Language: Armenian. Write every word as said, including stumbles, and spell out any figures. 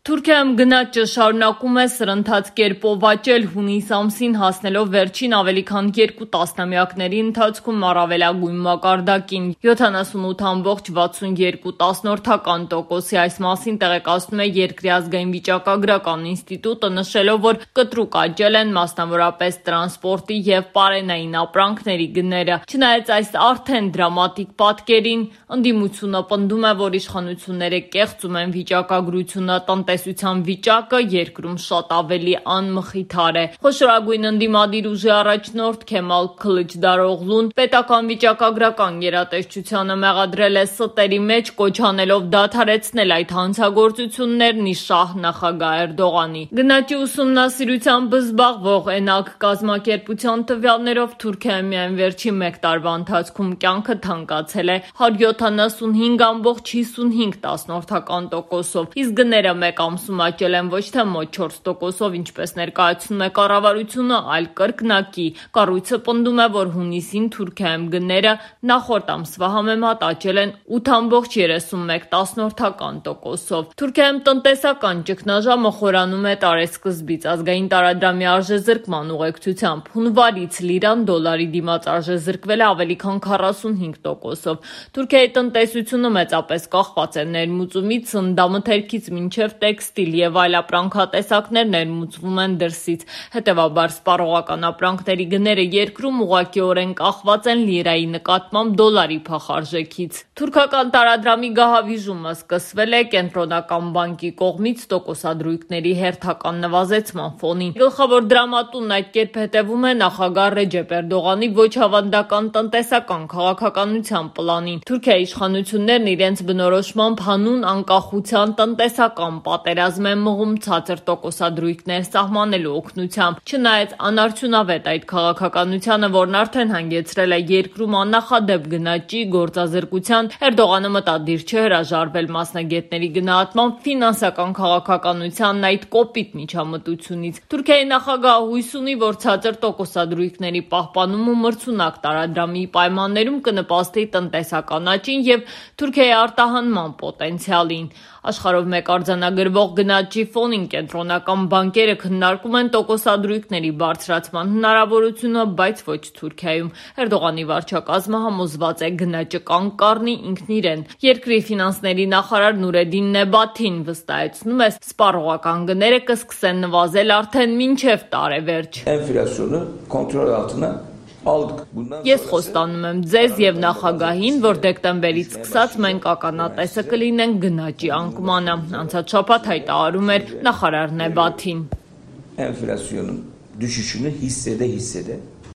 Թուրքիայում գնաճը շարունակում է սրընթաց կերպով աճել, հունիս ամսին հասնելով վերջին ավելի քան երկու տասնամյակների ընթացքում առավելագույն մակարդակին՝ յոթանասունութ բացառությամբ վաթսունյոթ տոկոսի։ Այս մասին տեղեկացնում է Երկրի ազգային վիճակագրական ինստիտուտը, նշելով, որ կտրուկ աճել են մասնավորապես տրանսպորտի և պարենային ապրանքների գները։ Չնայած այս արդեն դրամատիկ պատկերին, ընդդիմությունը պնդում է, որ իշխանությունները կեղծում են վիճակագրությունը, տնտեսության վիճակը երկրում շատ ավելի անմխիթար է։ Խոշորագույն ընդդիմադիր ուժի առաջնորդ Քեմալ Քլիչդարօղլուն պետական վիճակագրական գերատեսչությանը մեղադրել է ստերի մեջ, կոչ անելով դադարեցնել այդ հանցագործություններն ի շահ նախագահ Էրդողանի։ Գնաճի ուսումնասիրությամբ զբաղվող էնակ կազմակերպության տվյալներով Թուրքիայում միայն վերջին մեկ տարվա ընթացքում կյանքը թանկացել է հարյուր յոթանասունհինգ բացառությամբ հիսունհինգ տոկոսով, իսկ գները մեկ ամսում աճել են ոչ թե մոտ չորս տոկոսով, ինչպես ներկայացնում է կառավարությունը, այլ կրկնակի։ Կառույցը պնդում է, որ հունիսին Թուրքիայում գները նախորդ ամսվա համեմատ աճել են ութ ամբողջ երեսունմեկ տոկոսով։ Թուրքիայում տնտեսական ճգնաժամը խորանում է տարեսկզբից ազգային տարադրամի արժեզրկման ուղեկցությամբ։ Հունվարից լիրան դոլարի դիմաց արժեզրկվել է ավելի քան քառասունհինգ տոկոսով։ Թուրքիայի տնտեսությունը մեծապես կախված է ներմուծումից, սննդամթերքից մինչև տեքստիլ և այլ ապրանքատեսակներ ներմուծվում են դրսից։ Հետևաբար սպառողական ապրանքների գները երկրում ուղղակիորեն կախված են լիրայի նկատմամբ դոլարի փախարժեքից։ Թուրքական տարադրամի գահավիժումը սկսվել է Կենտրոնական բանկի կողմից տոկոսադրույքների հերթական նվազեցման ֆոնին։ Գլխավոր դրամատունն այդ կերպ հետևում է նախագահ Ռեջեփ Էրդողանի ոչ հավանական տնտեսական քաղաքականության պլանին։ Թուրքիայի իշխանություններն իրենց բնորոշմամբ հանուն անկախության տնտեսական պատերազմ են մղում ցածր տոկոսադրույքներ սահմանելու օգնությամբ։ Չնայած անարդյունավետ այդ քաղաքականությանը, որն արդեն հանգեցրել է երկրում աննախադեպ գնաճի, գործազրկության, Էրդողանը մտադիր չէ հրաժարվել մասնագետների գնահատմամբ ֆինանսական քաղաքականությանն այդ կոպիտ միջամտությունից։ Թուրքիայի նախագահը հույս ունի, որ ցածր տոկոսադրույքների պահպանումը մրցունակ տարադրամի պայմաններում կնպաստի տնտեսական աճին և Թուրքիայի արտահանման պոտենցիալին։ Աշխարհով մեկ արձանագրվող գնաճի ֆոնին կենտրոնական բանկերը քննարկում են տոկոսադրույքների բարձրացման հնարավորությունը, բայց ոչ Թուրքիայում։ Էրդողանի վարչակազմը համոզված է գնաճը կանգ կառնի ինքն իրեն։ Երկրի ֆինանսների նախարար Նուրեդին Նեբաթին վստահեցնում է, սպառողական գները կսկսեն նվազել արդեն մինչև տարեվերջ։ Էնֆլյացիոնը կոնտրոլ ալտına Ես խոստանում եմ ձեզ և նախագահին, որ դեկտեմբերից սկսած մենք ականատեսը կլինենք գնաճի անկմանը, անցած շաբաթ հայտարարում էր նախարար Նեբաթին։ Էնֆլյացիոնun düşüşünü hissede hissede